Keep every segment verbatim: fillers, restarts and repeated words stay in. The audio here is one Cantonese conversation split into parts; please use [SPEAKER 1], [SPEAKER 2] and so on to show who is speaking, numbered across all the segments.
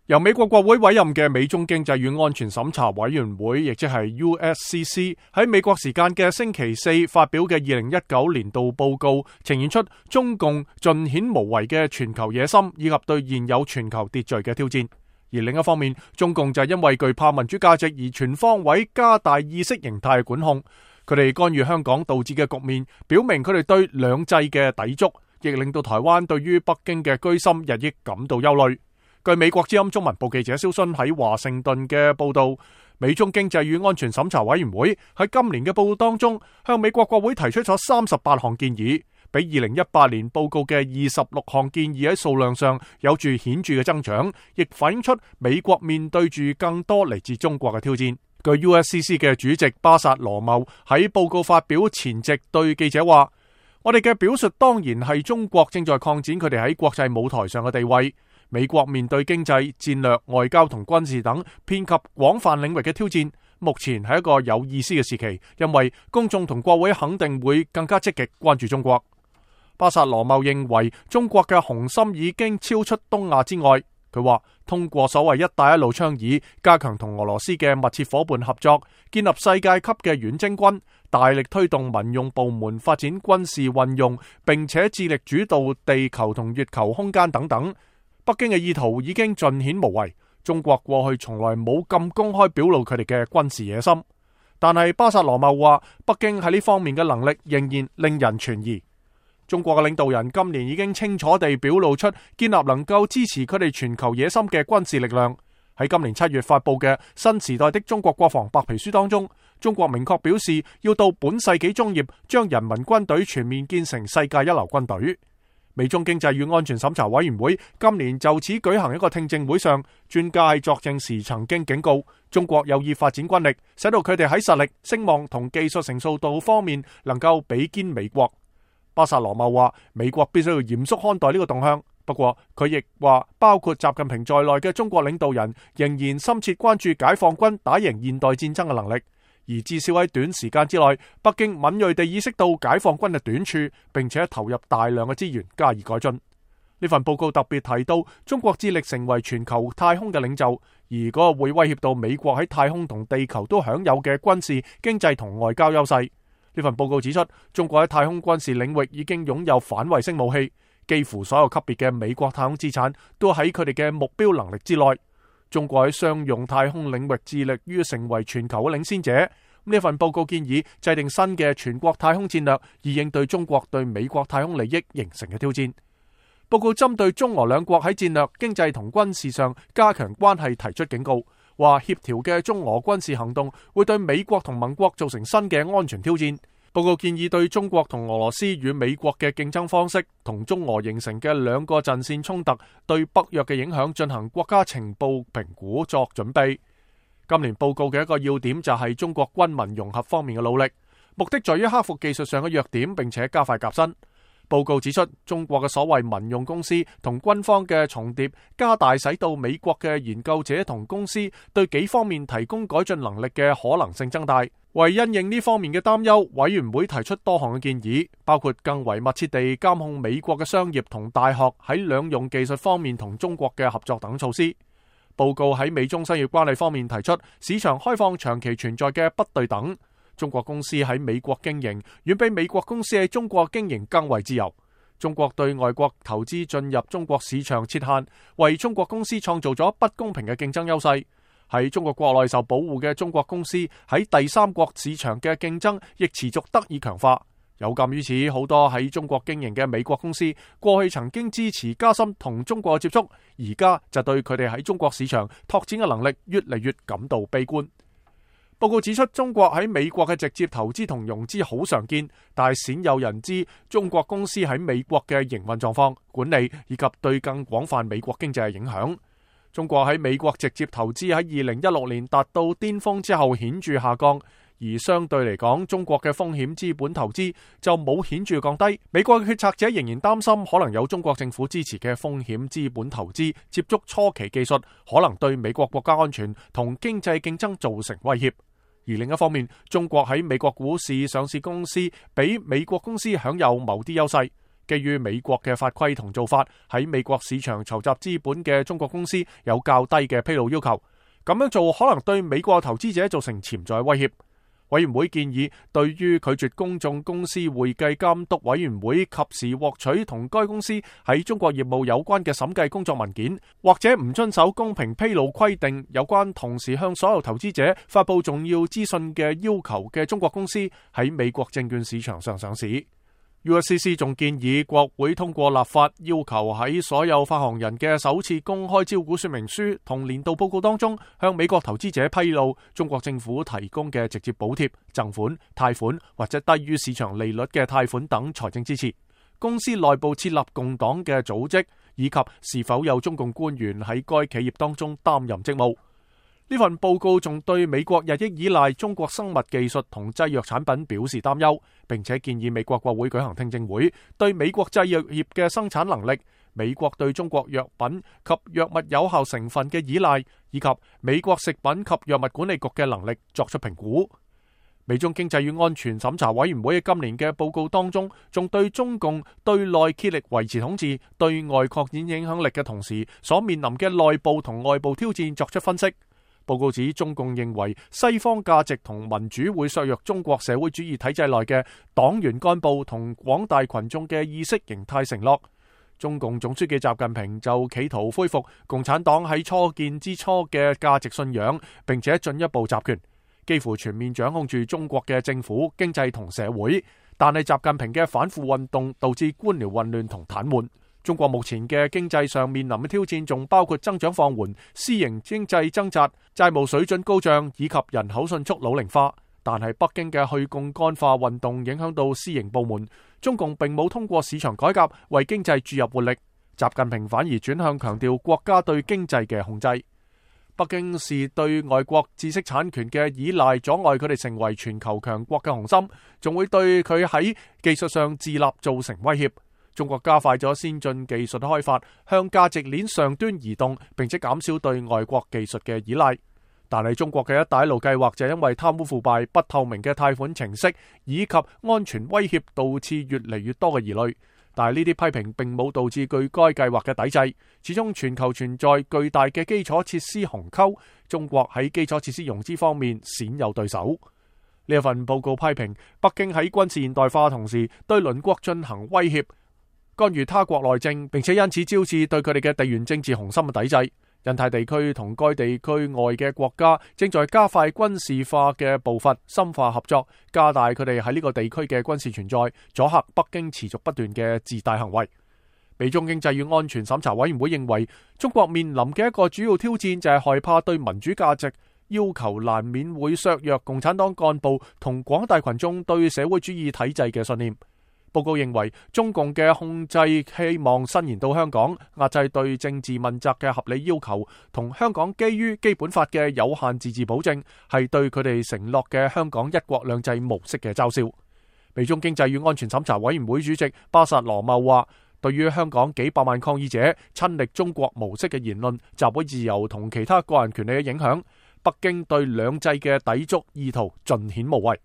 [SPEAKER 1] 由美國國會委任嘅美中經濟與安全審查委員會，亦即係 U S C C， 喺美國時間嘅星期四發表嘅二零一九年度報告，呈現出中共盡顯無為嘅全球野心，以及對現有全球秩序嘅挑戰。而另一方面，中共就因為懼怕民主價值而全方位加大意識形態嘅管控。佢哋干預香港導致嘅局面，表明佢哋對兩制嘅抵觸，亦令到台灣對於北京嘅居心日益感到憂慮。據美國之音中文部記者蕭勳喺華盛頓嘅報道，美中經濟與安全審查委員會喺今年嘅報告當中，向美國國會提出咗三十八項建議，比二零一八年報告嘅二十六項建議喺數量上有住顯著嘅增長，亦反映出美國面對住更多嚟自中國嘅挑戰。據 U S C C 嘅主席巴薩羅茂喺報告發表前夕對記者話：我哋嘅表述當然係中國正在擴展佢哋喺國際舞台上嘅地位。美國面對經濟、戰略、外交同軍事等遍及廣泛領域嘅挑戰，目前係一個有意思嘅時期，因為公眾同國會肯定會更加積極關注中國。巴薩羅茂認為中國嘅雄心已經超出東亞之外。佢話通過所謂一帶一路倡議，加強同俄羅斯嘅密切夥伴合作，建立世界級嘅遠征軍，大力推動民用部門發展軍事運用，並且致力主導地球同月球空間等等。北京嘅意圖已經盡顯無為，中國過去從來冇咁公開表露佢哋嘅軍事野心。但係巴薩羅茂話，北京喺呢方面嘅能力仍然令人存疑。中國嘅領導人今年已經清楚地表露出建立能夠支持佢哋全球野心嘅軍事力量。喺今年七月發布嘅新時代的中國國防白皮書當中，中國明確表示要到本世紀中葉將人民軍隊全面建成世界一流軍隊。美中經濟與安全審查委員會今年就此舉行一個聽證會上，專家喺作證時曾經警告中國有意發展軍力，使到佢哋喺實力、聲望同技術成熟度方面能夠比肩美國。巴薩羅茂話，美國必須要嚴肅看待呢個動向。不過佢亦話，包括習近平在內嘅中國領導人仍然深切關注解放軍打贏現代戰爭嘅能力。而至少喺短時間之內，北京敏銳地意識到解放軍嘅短處，並且投入大量嘅資源加以改進。呢份報告特別提到，中國致力成為全球太空嘅領袖，而嗰個會威脅到美國喺太空同地球都享有嘅軍事、經濟同外交優勢。呢份報告指出，中國喺太空軍事領域已經擁有反衛星武器，幾乎所有級別嘅美國太空資產都喺佢哋嘅目標能力之內。中國喺商用太空領域致力於成為全球嘅領先者。呢份報告建議制定新嘅全國太空戰略，以應對中國對美國太空利益形成嘅挑戰。報告針對中俄兩國喺戰略、經濟同軍事上加強關係提出警告，話協調嘅中俄軍事行動會對美國同盟國造成新嘅安全挑戰。報告建議對中國同俄羅斯與美國嘅競爭方式同中俄形成嘅兩個陣線衝突對北約嘅影響進行國家情報評估作準備。今年報告嘅一個要點就係中國軍民融合方面嘅努力，目的在於克服技術上嘅弱點，並且加快革新。報告指出，中國嘅所謂民用公司同軍方嘅重疊，加大使到美國嘅研究者同公司對幾方面提供改進能力嘅可能性增大。為因應呢方面嘅擔憂，委員會提出多項嘅建議，包括更為密切地監控美國嘅商業同大學喺兩用技術方面同中國嘅合作等措施。報告喺美中商業關係方面提出，市場開放長期存在嘅不對等。中國公司喺美國經營，遠比美國公司喺中國經營更為自由。中國對外國投資進入中國市場設限，為中國公司創造咗不公平嘅競爭優勢。喺中國國內受保護嘅中國公司喺第三國市場嘅競爭亦持續得以強化。有鑒於此，好多喺中國經營嘅美國公司過去曾經支持加深同中國嘅接觸，而家就對佢哋喺中國市場拓展嘅能力越嚟越感到悲觀。報告指出，中國喺美國嘅直接投資同融資好常見，但係鮮有人知中國公司喺美國嘅營運狀況、管理以及對更廣泛美國經濟嘅影響。中國喺美國直接投資喺二零一六年達到巔峰之後顯著下降，而相對嚟講，中國嘅風險資本投資就冇顯著降低。美國嘅決策者仍然擔心可能有中國政府支持嘅風險資本投資接觸初期技術，可能對美國國家安全同經濟競爭造成威脅。而另一方面，中國喺美國股市上市公司比美國公司享有某啲優勢。基於美國嘅法規同做法，喺美國市場籌集資本嘅中國公司有較低嘅披露要求。咁樣做可能對美國投資者造成潛在威脅。委員會建議，對於拒絕公眾公司會計監督委員會及時獲取同該公司喺中國業務有關嘅審計工作文件，或者唔遵守公平披露規定有關同時向所有投資者發佈重要資訊嘅要求嘅中國公司喺美國證券市場上上市。U S C C 仲建議國會通過立法，要求喺所有發行人嘅首次公開招股說明書同年度報告當中，向美國投資者披露中國政府提供嘅直接補貼、贈款、貸款或者低於市場利率嘅貸款等財政支持。公司內部設立共黨嘅組織，以及是否有中共官員喺該企業當中擔任職務。呢份報告仲對美國日益依賴中國生物技術同製藥產品表示擔憂，並且建議美國國會舉行聽證會，對美國製藥業嘅生產能力、美國對中國藥品及藥物有效成分嘅依賴，以及美國食品及藥物管理局嘅能力作出評估。美中經濟與安全審查委員會喺今年嘅報告當中，仲對中共對內竭力維持統治、對外擴展影響力嘅同時所面臨嘅內部同外部挑戰作出分析。報告指，中共認為西方價值同民主會削弱中國社會主義體制內嘅黨員幹部同廣大群眾嘅意識形態承諾。中共總書記習近平就企圖恢復共產黨喺初建之初嘅價值信仰，並且進一步集權，幾乎全面掌控住中國嘅政府、經濟同社會。但係習近平嘅反腐運動導致官僚混亂同癱瘓。中國目前嘅經濟上面臨嘅挑戰仲包括增長放緩、私營經濟掙扎、債務水準高漲以及人口迅速老齡化。但係北京嘅去槓桿化運動影響到私營部門，中共並冇通過市場改革為經濟注入活力。習近平反而轉向強調國家對經濟嘅控制。北京視對外國知識產權嘅依賴阻礙佢哋成為全球強國嘅雄心，仲會對佢喺技術上自立造成威脅。中國加快咗先進技術開發，向價值鏈上端移動，並且減少對外國技術嘅依賴。但係中國嘅一帶一路計劃就因為貪污腐敗、不透明嘅貸款程式以及安全威脅，導致越嚟越多嘅疑慮。但係呢啲批評並冇導致具該計劃嘅抵制。始終全球存在巨大嘅基礎設施鴻溝，中國喺基礎設施融資方面鮮有對手。呢一份報告批評北京喺軍事現代化同時對鄰國進行威脅，干預他國內政，並且因此招致對佢哋嘅地緣政治雄心嘅抵制。印太地區同該地區外嘅國家正在加快軍事化嘅步伐，深化合作，加大佢哋喺呢個地區嘅軍事存在，阻嚇北京持續不斷嘅自大行為。美中經濟與安全審查委員會認為，中國面臨嘅一個主要挑戰就係害怕對民主價值要求，難免會削弱共產黨幹部同廣大群眾對社會主義體制嘅信念。報告認為，中共嘅控制希望伸延到香港，壓制對政治問責嘅合理要求，同香港基於基本法嘅有限自治保證，係對佢哋承諾嘅香港一國兩制模式嘅嘲笑。美中經濟與安全審查委員會主席巴薩羅茂話，對於香港幾百萬抗議者親歷中國模式嘅言論、集會自由同其他個人權利嘅影響，北京對兩制嘅抵觸意圖盡顯無謂。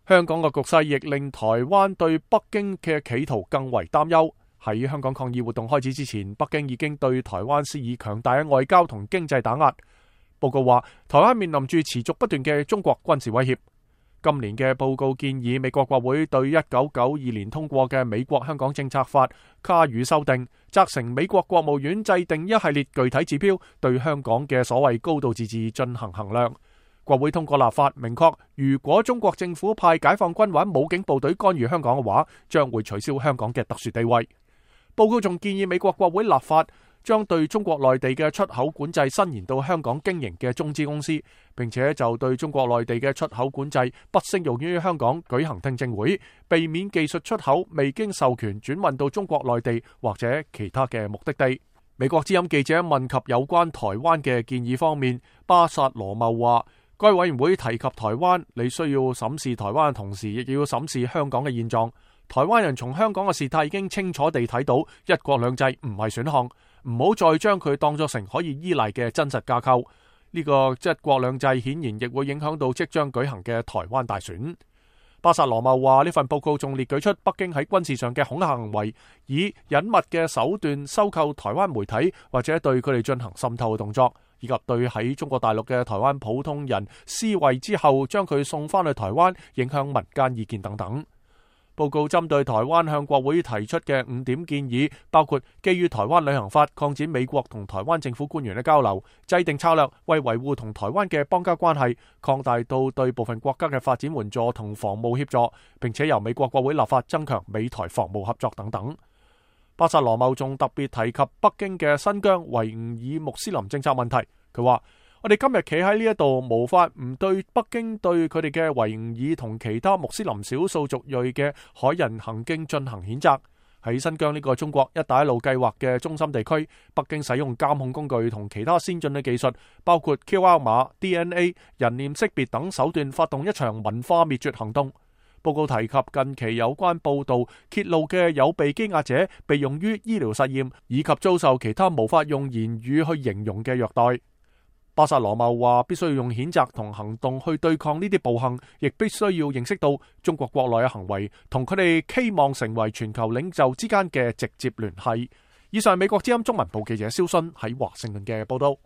[SPEAKER 1] 香港嘅局勢亦令台灣對北京嘅企圖更為擔憂。喺香港抗議活動開始之前，北京已經對台灣施以強大嘅外交同經濟打壓。報告話，台灣面臨住持續不斷嘅中國軍事威脅。今年嘅報告建議美國國會對一九九二年通過嘅美國香港政策法加予修訂，責成美國國務院制定一系列具體指標，對香港嘅所謂高度自治進行衡量。國會通過立法，明確如果中國政府派解放軍或者武警部隊干預香港嘅話，將會取消香港嘅特殊地位。報告仲建議美國國會立法，將對中國內地嘅出口管制伸延到香港經營嘅中資公司，並且就對中國內地嘅出口管制不適用於香港舉行聽證會，避免技術出口未經授權轉運到中國內地或者其他嘅目的地。美國之音記者問及有關台灣嘅建議方面，巴薩羅茂話，該委員會提及台灣，你需要審視台灣嘅同時，亦要審視香港嘅現狀。台灣人從香港嘅事態已經清楚地睇到，一國兩制唔係選項，唔好再將佢當作成可以依賴嘅真實架構。呢個一國兩制顯然亦會影響到即將舉行嘅台灣大選。巴薩羅茂話呢份報告仲列舉出北京喺軍事上嘅恐嚇行為，以隱密嘅手段收購台灣媒體或者對佢哋進行滲透嘅動作，以及對喺中國大陸嘅台灣普通人思維之後將佢送翻去台灣，影響民間意見等等。報告針對台灣向國會提出嘅五點建議，包括基於台灣旅行法擴展美國同台灣政府官員嘅交流，制定策略為維護同台灣嘅邦交關係，擴大到對部分國家嘅發展援助同防務協助，並且由美國國會立法增強美台防務合作等等。巴薩羅茂仲特別提及北京嘅新疆維吾爾穆斯林政策問題，佢話：我哋今日企喺呢一度，無法唔對北京對佢哋嘅維吾爾同其他穆斯林少數族裔嘅駭人行徑進行譴責。喺新疆呢個中國一帶一路計劃嘅中心地區，北京使用監控工具同其他先進嘅技術，包括 Q R 碼、D N A、人臉識別等手段，發動一場文化滅絕行動。報告提及近期有關報道揭露嘅有被羈押者被用於醫療實驗，以及遭受其他無法用言語去形容嘅虐待。巴薩羅茂話：必須要用譴責同行動去對抗呢啲暴行，亦必須要認識到中國國內嘅行為同佢哋期望成為全球領袖之間嘅直接聯繫。以上係美國之音中文部記者蕭迅喺華盛頓嘅報道。